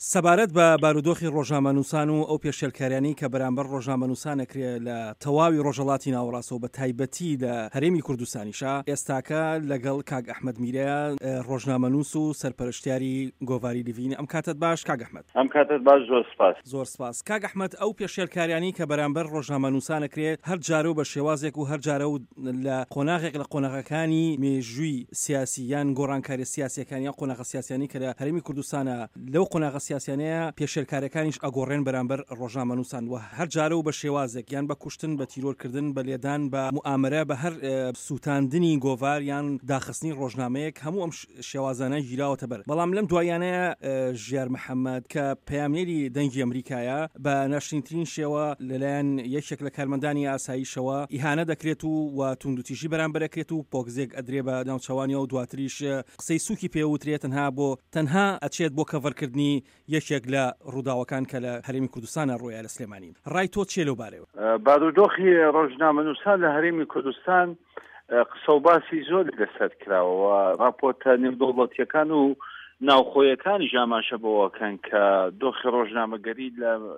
سەبارەت بە بارودۆخی ڕۆژنامەنووسان و ئەو پێشێلکاریانەی کە بەرامبەر ڕۆژنامەنووسان ئەکرێ لە تەواوی ڕۆژهەڵاتی ناوەڕاستەوە بە تایبەتی لە هەرێمی کوردستانیشا ئێستاکە لەگەڵ کاک ئەحمەد میرە ڕۆژنامەنووس و سەرپەرشتیاری گۆڤاری لڤین ئەم کاتەت باش کاک ئەحمەد. ئەم کاتەت باش زۆر سپاس. زۆر سپاس. کاک ئەحمەد ئەو پێشێلکاریانەی کە بەرامبەر ڕۆژنامەنووسان ئەکرێ هەر جارە و بە شێوازێک و هەر جارە و لە قۆناغێک لە قۆناغەکانی مێژووی سیاسی یان گۆڕانکاریە سیاسیەکان یان قۆناغە سیاسیانەی کە لە هەرێمی کوردستانە لەو قۆناغە سیاسیانەیە پێشێلکاریەکانیش ئەگۆڕێن بەرامبەر ڕۆژنامەنووسان و هەر جارە و بە شێوازێک یان بە کوشتن بە تیرۆرکردن بە لێدان بە موئامەرە بە هەر سووتاندنی گۆڤار یان داخستنی ڕۆژنامەیەک هەموو ئەم شێوازانە گیراوەتە بەر بەڵام لەم دواییانەیە ژیار محەمەد کە پەیامنێری دەنگی ئەمریکایە بە ناشرینترین شێوە لەلایەن یەکێک لە کارمەندانی ئاسایشەوە ئیهانە دەکرێت و و توندوتیژی بەرامبەر ئەکرێت و پۆکزێک ئەدرێ بە ناوچەوانیەوە دواتریش قسەی سوکی پێ وترێ تەنها بۆ تەنها ئەچێت بۆ کەڤەرکردنی یەکێک لە ڕووداوەکان کە لە هەرێمی کوردستانا ڕوویا لە سلێمانی. ڕای تۆ چیە لەو بارەیەوە؟ بارودۆخی ڕۆژنامەنووسان لە هەرێمی کوردستان قسە و باسی زۆری لەسەر کراوە و ڕاپۆرتە نێودەوڵەتییەکان و ناوخۆیەکانیش ئاماژە بەوەکەن کە دۆخی ڕۆژنامەگەری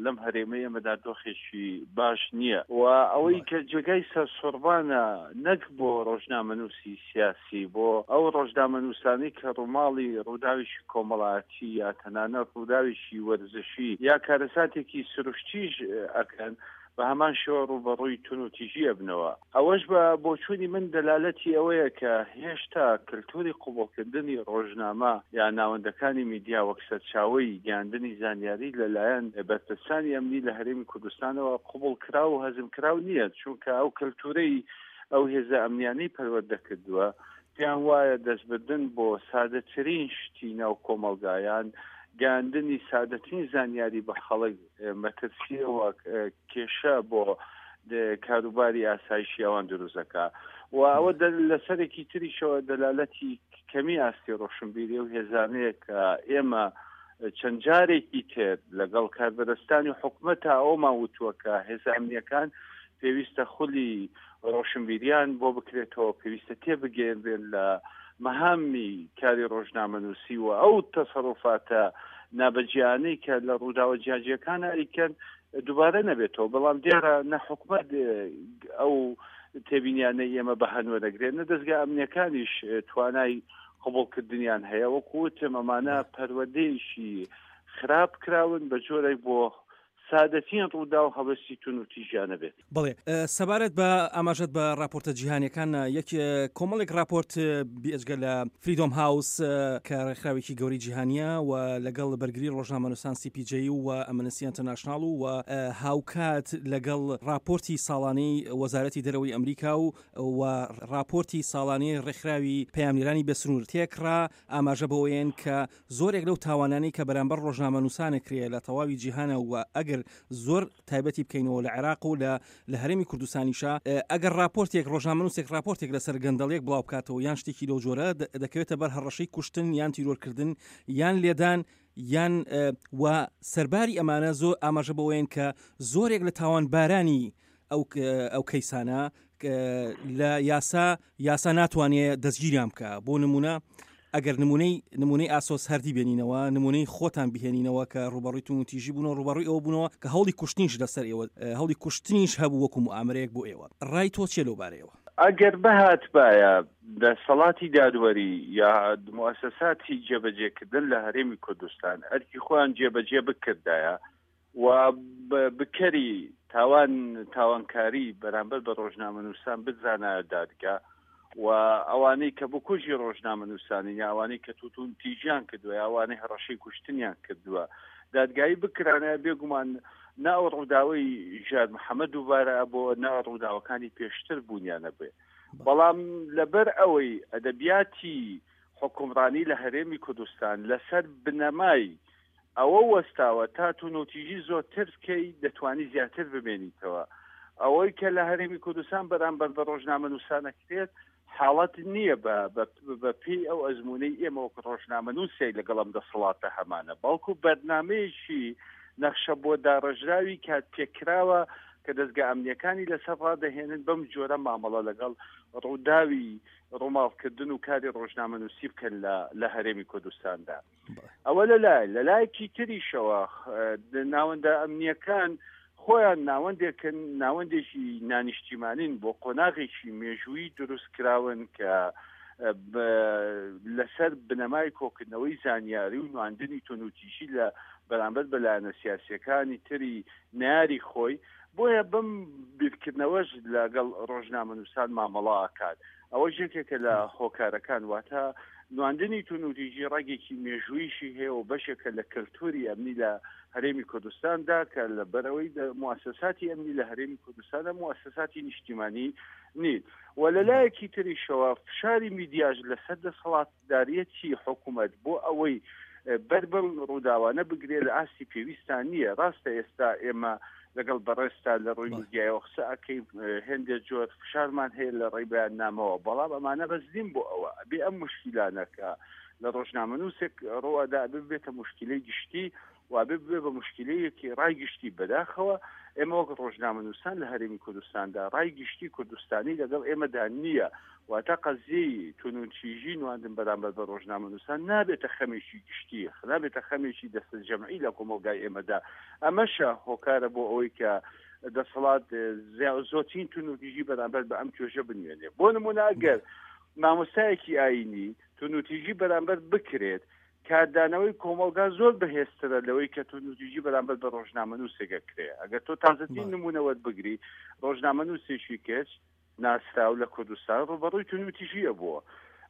لەم هەرێمەی ئێمەدا دۆخێکی باش نییە و ئەوەی کە جێگای سەرسوڕمانە نەک بۆ ڕۆژنامەنووسی سیاسی بۆ ئەو ڕۆژنامەنووسانەی کە ڕووماڵی ڕووداوێکی کۆمەڵایەتی یا تەنانەت ڕووداوێکی وەرزشی یا کارەساتێکی سروشتیش ئەکەن بە هەمان شێوە ڕووبەڕووی توندوتیژی ئەبنەوە. ئەوەش بە بۆچوونی من دەلالەتی ئەوەیە کە هێشتا کلتوری قبوڵکردنی ڕۆژنامە یا ناوەندەکانی میدیا وەک سەرچاوەی گەیاندنی زانیاری لە لایەن بەرپرسانی ئەمنی لە هەرێمی کوردستانەوە قبوڵکراو و هەزمکراو نییە، چونکە ئەو کلتورەی ئەو هێزە ئەمنیانەی پەروەردە کردووە پێیان وایە دەستبردن بۆ سادەترین شتی ناو کۆمەڵگا یان گەیاندنی سادەترین زانیاری بە خەڵک مەترسییەوە کێشە بۆ کاروباری ئاسایشی ئەوان دروست دەکا و ئەوە لەسەرێکی تریشەوە دەلالەتی کەمی ئاستی ڕۆشنبیری و هێزانەیە کە ئێمە چەند جارێکی تر لەگەڵ کاربەدەستانی حکومەتا ئەومان وتووە کە هێزە ئەمنیەکان پێویستە خولی ڕۆشنبیریان بۆ بکرێتەوە، پێویستە تێبگەیەنرێن لە مەهامی کاری ڕۆژنامەنووسی و ئەو تەسەروفاتە نابەجێیانەی کە لە ڕووداوە جیاجیەکانە ئەیکەن دووبارە نەبێتەوە، بەڵام دیارە نە حکومەت ئەو تێبینیانەی ئێمە بە هەند وەرەگرێت نە دەزگا ئەمنیەکانیش توانای قبوڵکردنیان هەیە. وەکو وتم ئەمانە پەروەردەیەکی خراپ کراون بە جۆرێک بۆ سادەترین ڕووداو هەڵوێستی توندوتیژیانە بێت. بەڵێ سەبارەت بە ئاماژەت بە ڕاپۆرتە جیهانیەکان یەک کۆمەڵێک ڕاپۆرت بێجگە لە فریدۆم هاوس کە ڕێکخراوێکی گەوری جیهانیە و لەگەڵ بەرگری ڕۆژنامەنووسان سی پی جەی و ئەمنستی ئینتەرناشناڵ و هاوکات لەگەڵ ڕاپۆرتی ساڵانەی وەزارەتی دەرەوەی ئەمریکا و و ڕاپۆرتی ساڵانەی ڕێکخراوی پەیامنێرانی بێسنوور تێکڕا ئاماژە بەوەیەن کە زۆرێک لەو تاوانانەی کە بەرامبەر ڕۆژنامەنووسان ئەکرێ لە تەواوی جیهانە و ئەگەر زۆر تایبەتی بکەینەوە لە عێراق و لە لە هەرێمی کوردستانیشا ئەگەر ڕاپۆرتێک ڕۆژنامەنووسێک ڕاپۆرتێک لەسەر گەندەڵیەک بڵاو بکاتەوە یان شتێکی لەو جۆرە دەکەوێتە بەر هەڕەشەی کوشتن یان تیرۆرکردن یان لێدان یان و سەرباری ئەمانە زۆر ئاماژە بەوەیەن کە زۆرێک لە تاوانبارانی ئەو ئەو کەیسانە لە یاسا یاسا ناتوانێ دەستگیریان بکە بۆ نمونە ئەگەر نمونەی نمونەی ئاسۆس هەردی بێنینەوە نمونەی خۆتان بهێنینەوە کە ڕوبەڕووی توندوتیژی بوونەوە ڕوبەڕووی ئەوە بوونەوە کە هەوڵی کوشتنیش لەسەر ئێوە هەوڵی کوشتنیش هەبوو وەکو موئامەرەیەک بۆ ئێوە ڕای تۆ چیە لەو بارەیەوە؟ ئەگەر بهاتبایە دەسەڵاتی دادوەری یا موئەسەساتی جێبەجێکردن لە هەرێمی کوردستان ئەرکی خۆیان جێبەجێ بکردایە و بکەری تاوان تاوانکاری بەرامبەر بە ڕۆژنامەنووسان بزانایە دادگا و ئەوانەی کە بکوژی ڕۆژنامەنووسانین یا ئەوانەی کە توتون تیژیان کردووە یا ئەوانەی هەڕەشەی کوشتنیان کردووە دادگایی بکرانە بێگومان نا ئەو ڕووداوەی ژیار محەممەد دووبارە بۆ نا ڕووداوەکانی پێشتر بوونیانە بێ بەڵام لەبەر ئەوەی ئەدەبیاتی حکومڕانی لە هەرێمی کوردستان لەسەر بنەمای ئەوە وەستاوە تا تونوتیژی زۆرتر بکەی دەتوانی زیاتر بمێنیتەوە. ئەوەی کە لە هەرێمی کوردستان بەرامبەر بە ڕۆژنامەنووسان ئەکرێت حاڵەت نییە بە بە پێی ئەو ئەزموونەی ئێمە وەک ڕۆژنامەنووسێک لەگەڵ ئەم دەسەڵاتە هەمانە، بەڵکو بەرنامەیەکی نەخشە بۆ داڕێژراوی کاتپێکراوە. کە دەزگا ئەمنیەکانی لەسەر ڕادەهێنن بەم جۆرە مامەڵە لەگەڵ ڕووداوی ڕووماڵکردن و کاری ڕۆژنامەنووسی بکەن لە لە هەرێمی کوردستاندا. ئەوە لەلای لەلایەکی تریشەوە ناوەندە ئەمنیەکان خۆیان ناوەندێکن ناوەندێکی نانیشتیمانین بۆ قۆناغێکی مێژوویی دروست کراون کە لەسەر بنەمای کۆکردنەوەی زانیاری و نواندنی تونوتیژی لە بەرامبەر بە لایەنە سیاسیەکانی تری نەیاری خۆی بۆیە بەم بیرکردنەوەش لەگەڵ ڕۆژنامەنووسان مامەڵە ئەکات ئەوەش یەکێکە لە هۆکارەکان واتە نواندنی تونوتیژی ڕەگێکی مێژوویشی هەیە و بەشێکە لە کەلتوری ئەمنی لە هەرێمی کوردستاندا کە لەبەرئەوەی موئەسەساتی ئەمنی لە هەرێمی کوردستاندا موئەسەساتی نیشتیمانی نین و لە لایەکی تریشەوە فشاری میدیاش لەسەر دەسەڵاتداریەتی حکوومەت بۆ ئەوەی بەر بەم ڕووداوانە بگرێت لە ئاستی پێویستان نییە. ڕاستە ئێستا ئێمە لەگەڵ بەڕێزتا لە ڕووی میدیایەوە قسە ئەکەین، هێندێ جۆر فشارمان هەیە لە ڕێی بەیاننامەوە، بەڵام ئەمانە بەس نین بۆ ئەوە. ئەبێ ئەم موشکیلانە کە لە ڕۆژنامەنووسێک ڕووئەدا ئەبێ ببێتە موشکیلەی گشتی و ئەبێ ببێ بە موشکیلەیەکی ڕای گشتی. بەداخەوە ئێمە وەک ڕۆژنامەنووسان لە هەرێمی کوردستاندا ڕای گشتی کوردستانی لەگەڵ ئێمەدا نییە. واتە قەزیەی تونوتیژی نواندن بەرامبەر بە ڕۆژنامەنووسان نابێتە خەمێکی گشتی، نابێتە خەمێکی دەستەجەمعی لە کۆمەڵگای ئێمەدا. ئەمەشە هۆکارە بۆ ئەوەی کە دەسەڵات زۆرترین تونوتیژی بەرامبەر بە ئەم توێژە بنوێنێ. بۆ نموونە ئەگەر مامۆستایەکی ئایینی تونوتیژی بەرامبەر بکرێت، کاردانەوەی کۆمەڵگا زۆر بەهێزترە لەوەی کە توندوتیژی بەرامبەر بە ڕۆژنامەنووسێک ئەکرێ. ئەگەر تۆ تازەترین نموونە وەربگری، ڕۆژنامەنووسێکی کچ ناسراو لە کوردستان ڕووبەڕووی توندوتیژی ئەبووە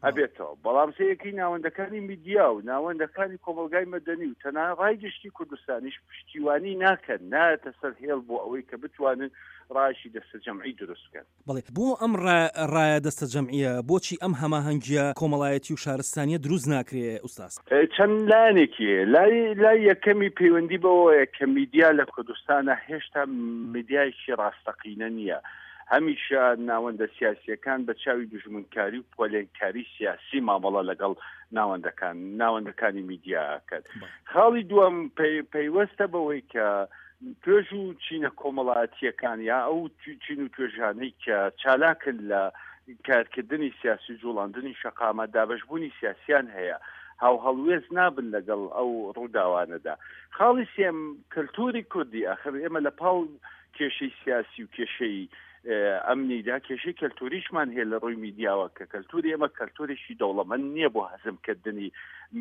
ئەبێتەوە، بەڵام سەیرکەی ناوەندەکانی میدیا و ناوەندەکانی کۆمەڵگای مەدەنی و تەنانەت ڕای گشتی کوردستانیش پشتیوانی ناکەن، نایەتە سەر هێڵ بۆ ئەوەی کە بتوانن ڕایەکی دەستەجەمعی دروست بکەن. بەڵێ بۆ ئەم ڕایە دەستەجەمعییە، بۆچی ئەم هەماهەنگییە کۆمەڵایەتی و شارستانییە دروست ناکرێ ئوستاز؟ چەند لایەنێکی هەیە، لای لای یەکەمی پەیوەندی بەوەیە کە میدیا لە کوردستانا هێشتا میدیایەکی ڕاستەقینە نییە، هەمیشە ناوەندە سیاسییەکان بە چاوی دوژمنکاری و پۆلێنکاری سیاسی مامەڵە لەگەڵ ناوەندەکان ناوەندەکانی میدیا ئەکەن. خاڵی دووەم پەیوەستە بەوەی کە توێژ و چینە کۆمەڵایەتییەکان یا ئەو چین و توێژانەی کە چالاکن لە کارکردنی سیاسی و جوڵاندنی شەقامە دابەشبوونی سیاسیان هەیە هاوهەڵوێست نابن لەگەڵ ئەو ڕووداوانەدا. خاڵی سێم کەلتوری کوردی ئاخر ئێمە لە پاڵ کێشەی سیاسی و کێشەی ئەمنیدا کێشەی کەلتوریشمان هەیە لە ڕووی میدیاوە کە کەلتوری ئێمە کەلتورێکی دەوڵەمەند نییە بۆ هەزمکردنی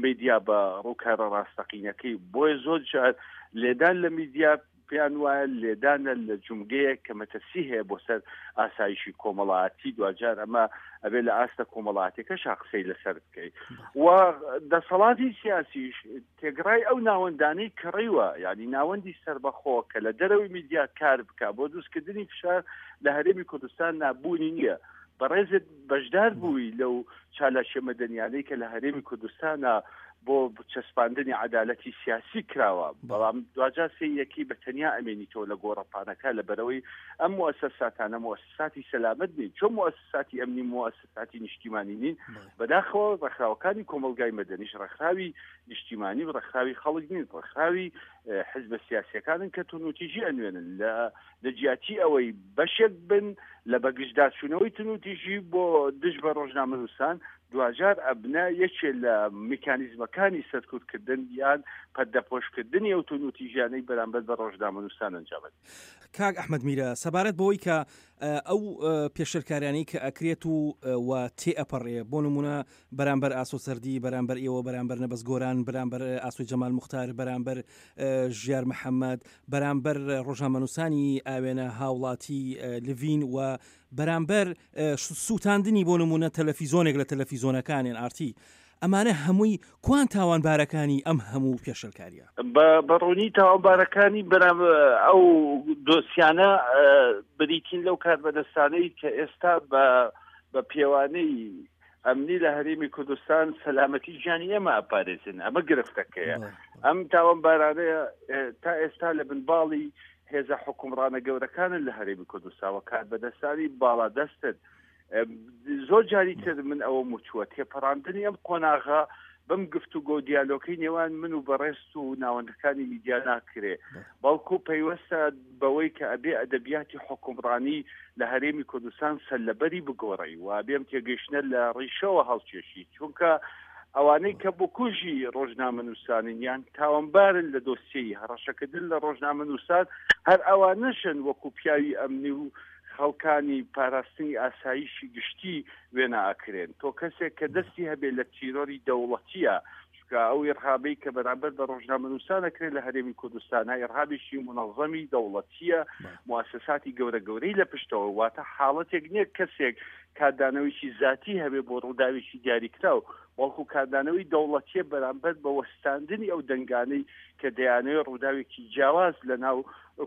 میدیا بە ڕووکارە ڕاستەقینەکەی بۆیە زۆر جار لێدان لە میدیا پێیان وایە لێدانە لە جومگەیەک کە مەترسی هەیە بۆ سەر ئاسایشی کۆمەڵایەتی دواجار ئەمە ئەبێ لە ئاستە کۆمەڵاتەکەشا قسەی لەسەر بکەیت و دەسەڵاتی سیاسیش تێگڕای ئەو ناوەندانەی کڕیوە، یانی ناوەندی سەربەخۆ کە لە دەرەوەی میدیا کار بکا بۆ دروستکردنی فشار لە هەرێمی کوردستان نا بوونی نییە. بەڕێزت بەشدار بووی لەو چالاکیە مەدەنیانەی کە لە هەرێمی کوردستانا بۆ چەسپاندنی عەدالەتی سیاسی کراوە، بەڵام دواجار سێیەکی بە تەنیا ئەمێنیتەوە لە گۆڕەپانەکە لەبەرئەوەی ئەم موئەسەساتانە موئەسەساتی سەلامەت نین، چۆن موئەسەساتی ئەمنی موئەسەساتی ساتی نیشتیمانی نین، بەداخەوە ڕێکخراوەکانی کۆمەڵگای مەدەنیش ڕێکخراوی نیشتیمانی و ڕێکخراوی خەڵک نین، ڕێکخراوی حزبە سیاسیەکانن کە تونوتیژی ئەنوێنن لە جیاتی ئەوەی بەشێک بن لە بەگژداچوونەوەی تونوتیژی بۆ دژ بە ڕۆژنامەنووسان دواجار ئەبنە یەکێ لە میکانیزمەکانی سەرکوتکردن یان پەردەپۆشکردنی ئەو تونوتیژیانەی بەرامبەر بە ڕۆژنامەنووسان ئەنجامەدرێن. کاک ئەحمەد میرە سەبارەت بەوەی کە ئەو پێشێلکاریانەی کە ئەکرێت و و تێ ئەپەڕێ بۆ نمونە بەرامبەر ئاسۆ سەردی بەرامبەر ئێوە بەرامبەر نەبەز گۆران بەرامبەر ئاسۆی جەمال موختار بەرامبەر ژیار محەممەد بەرامبەر ڕۆژنامەنووسانی ئاوێنە هاوڵاتی لڤین و بەرامبەر سووتاندنی بۆ نمونە تەلەفیزۆنێک لە تەلەفیزۆنەکانێن ئارتی ئەمانە هەمووی کوان تاوانبارەکانی ئەم هەموو پێشێلکاریە؟ بە ڕوونی تاوانبارەکانی بەرام ئەو دۆسیانە بریتین لەو کاربەدەستانەی کە ئێستا بە بە پێوانەی ئەمنی لە هەرێمی کوردستان سەلامەتی گیانی ئێمە ئەپارێزن ئەمە گرفتەکەیە ئەم تاوانبارانەیە تا ئێستا لە بنباڵی هێزە حکومڕانە گەورەکانن لە هەرێمی کوردستان و کاربەدەستانی باڵادەستن زۆر جاری تر من ئەوەم وتووە تێپەڕاندنی ئەم قۆناغە بەم گفتوگۆ و دیالۆکەی نێوان من و بەڕێزت و ناوەندەکانی میدیا ناکرێ، بەڵکو پەیوەستە بەوەی کە ئەبێ ئەدەبیاتی حوکمڕانی لە هەرێمی کوردستان سەرلەبەری بگۆڕی و ئەبێ ئەم تێگەیشتنە لە ڕیشەوە هەڵکێشی، چونکە ئەوانەی کە بکوژی ڕۆژنامەنووسانن یان تاوانبارن لە دۆسیەی هەڕەشەکردن لە ڕۆژنامەنووسان هەر ئەوانەشن وەکو پیاوی ئەمنی و خەڵکانی پاراستنی ئاسایشی گشتی وێنا ئەکرێن. تۆ کەسێک کە دەستی هەبێ لە تیرۆری دەوڵەتیە، چونکە ئەو ئیڕهابەی کە بەرامبەر بە ڕۆژنامەنووسان ئەکرێ لە هەرێمی کوردستانا ئیڕهابێکی مونەزەمی دەوڵەتیە، موئەسەساتی گەورە گەورەی لە پشتەوە، واتە حاڵەتێک نیە کەسێک کاردانەوەیکی زاتی هەبێ بۆ ڕووداوێکی دیاریکراو، بەڵکو کاردانەوەی دەوڵەتیە بەرامبەر بە وەستاندنی ئەو دەنگانەی کە دەیانەوێ ڕووداوێکی جیاواز لە ناو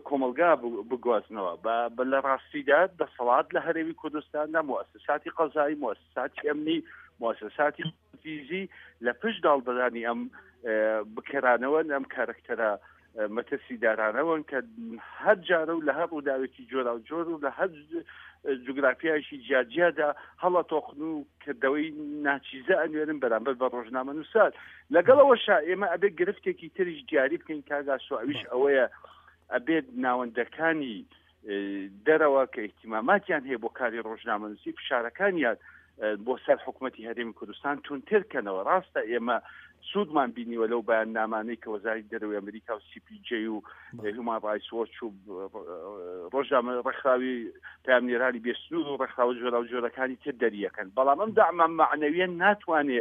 کۆمەڵگا بگوازنەوە. بە لە ڕاستیدا دەسەڵات لە هەرێمی کوردستاندا موئەسەساتی قەزایی، موئەسەساتی ئەمنی، موئەسەساتی تەنفیزی لە پشت داڵدەدانی ئەم بکەرانەوەن، ئەم کارەکتەرە مەترسیدارانەوەن کە هەر جارە و لە هەر ڕووداوێکی جۆراوجۆر و لە هەر جوگرافیایەکی جیاجیادا هەڵەتۆقن و کردەوەی ناچیزە ئەنوێنن بەرامبەر بە ڕۆژنامەنووسان. لەگەڵ ئەوەشا ئێمە ئەبێت گرفتێکی تریش دیاری بکەین کاک ئاسۆ، ئەویش ئەوەیە ئەبێت ناوەندەکانی دەرەوە کە ئیهتیماماتیان هەیە بۆ کاری ڕۆژنامەنووسی فشارەکانیان بۆ سەر حکوومەتی هەرێمی کوردستان توندتر کەنەوە. ڕاستە ئێمە سوودمان بینیوە لەو بەیاننامانەی کە وەزارەتی دەرەوەی ئەمریکا و سی پی جەی و هیومان ڕایتس وۆچ و ڕۆژنامە ڕێکخراوی پەیامنێرانی بێسنوور و ڕێکخراوە جۆراوجۆرەکانی تر دەریەکەن، بەڵام ئەم دەعمە مەعنەویە ناتوانێ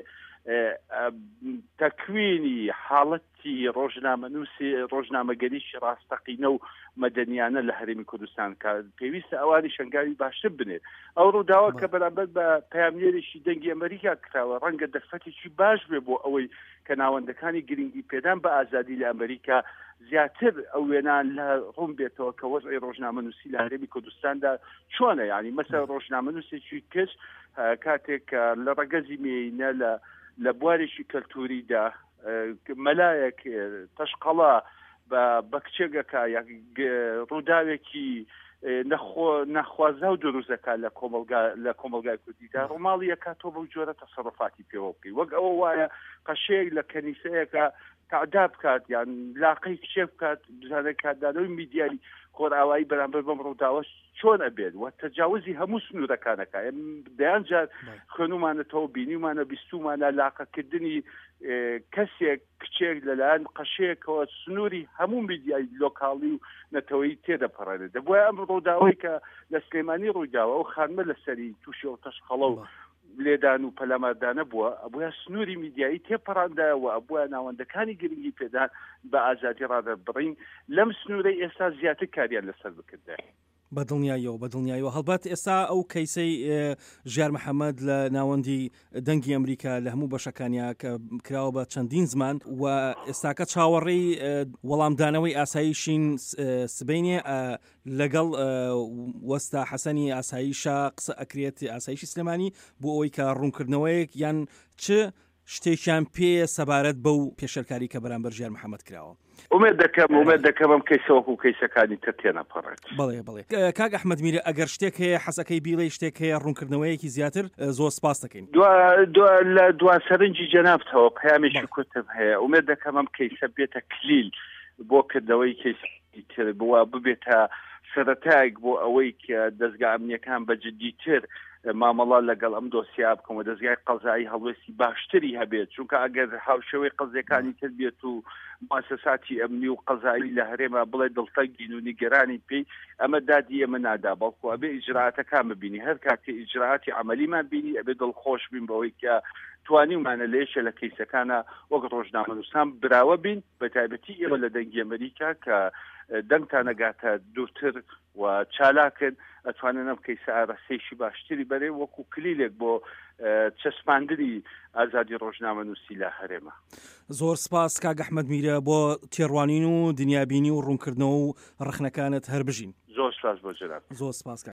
تەکوینی حاڵەت تی ڕۆژنامەنووسی ڕۆژنامەگەریی ڕاستەقینە و مەدەنیانە لە هەرێمی کوردستان کە پێویستە ئەوانی شەنگاوی باشتر بنێت. ئەو ڕووداوە کە بەرامبەر بە پەیامنێرێکی دەنگی ئەمریکا کراوە ڕەنگە دەرفەتێکی باش بێ بۆ ئەوەی کە ناوەندەکانی گرنگی پێدان بە ئازادی لە ئەمریکا زیاتر ئەو وێنا لە ڕوون بێتەوە کە وەزعی ڕۆژنامەنووسی لە هەرێمی کوردستاندا چۆنە. یعنی مەسەر ڕۆژنامەنووسێکی کچ کاتێک کە لە ڕەگەزی مێینە لە لە بوارێکی کەلتوریدا مەلایەک تەشقەڵە بە کچێک ئەکا یا ڕووداوێکی نەخوازراو دروست دەکات لە کۆمەلگا لە کۆمەلگای کوردیدا ڕووماڵی ئەکات تۆ بەو جۆرە تەسەڕفاتی پێوە بکەی وەک ئەوە وایە قەشەیەک لە کەنیسەیەکە تعدا بکات یان لاقەی کچێک بکات بزانێت کاردانەوەی میدیای خۆرئاوایی بەرامبەر بەم ڕووداوە چۆن ئەبێت و تەجاوزی هەموو سنوورەکانەکە دەیان جار خوێنومانەتەوە بینیمانە بیستومانە لاقەکردنی کەسێک کچێک لەلایەن قەشەیەکەوە سنووری هەموو میدیای لۆکاڵی و نەتەوەی تێدەپەڕێنێت. دەبوایە ئەم ڕووداوەی کە لە سلێمانی ڕوویداوە ئەو خانمە لەسەری تووشی ئەو تەشقەڵە و لێدان و پەلاماردانە بووە، ئەبوایە سنووری میدیایی تێپەڕاندایە و ئەبوایە ناوەندەکانی گرنگی پێدان بە ئازادی ڕادەربڕین لەم سنوورەی ئێستا زیاتر کاریان لەسەر بکردایە. بە دڵنیاییەوە، بە دڵنیاییەوە. هەڵبەت ئێستا ئەو کەیسەی ژیار محەمەد لە ناوەندی دەنگی ئەمریکا لە هەموو بەشەکانیا کە کراوە بە چەندین زمان و ئێستاکە چاوەڕێی وەڵامدانەوەی ئاسایشین سبەینێ لەگەڵ وەستا حەسەنی ئاسایشا قسە ئەکرێت ئاسایشی سلێمانی بۆ ئەوەی کە ڕوونکردنەوەیەک یان چ شتێکیان پێیە سەبارەت بەو پێشێلکاری کە بەرامبەر ژیار محەمەد کراوە. ئومێد دەکەم ئومێد دەکەم ئەم کەیسە وەکو کەیسەکانی تر تێنەپەڕێت. بەڵێ بەڵێ کاک ئەحمەد میرە ئەگەر شتێک هەیە حەزەکەی بیڵێی شتێک هەیە ڕوونکردنەوەیەکی زیاتر زۆر سپاست دەکەین. دوا دوا لە دوا سەرنجی جەنابتەوە پەیامێکی کورتم هەیە ئومێد دەکەم ئەم کەیسە بێتە کلیل بۆ کردنەوەی کەیسی تر بووە ببێتە سەرەتایەک بۆ ئەوەی کە دەزگا ئەمنیەکان بە جدیتر مامەڵە لەگەڵ ئەم دۆسیا بکەن و دەزگای قەزایی هەڵوێستی باشتری هەبێت، چونکە ئەگەر هاوشێوەی قەزیەکانی تر بێت و موسساتی ئەمنی و قەزایی لە هەرێمە بڵێ دڵتەنگین و نیگەرانی پێی، ئەمە دادی ئێمە نادا، بەڵکو ئەبێ ئیجرائاتەکان ببینی، هەر کاتێ ئیجرائاتی عەمەلیمان بینی ئەبێ دڵخۆش بین بەوەی کە توانیومانە لە یەکێ لە کەیسەکانا وەک ڕۆژنامەنووسان براوە بین. بە تایبەتی ئێوە لە دەنگی ئەمریکا کە دەنگتان ئەگاتە دوورتر و چالاکن ئەتوانن ئەم کەیسە ئاراستەیەکی باشتری بەرێ وەکو کلیلێک بۆ چەسپاندنی ئازادی ڕۆژنامەنووسی لە هەرێمە. زۆر سپاس کاک ئەحمەد میرە بۆ تێڕوانین و دنیابینی و ڕوونکردنەوە و ڕەخنەکانت هەر بژین. زۆر سپاس بۆ جەنابت. زۆر سپاس کاک.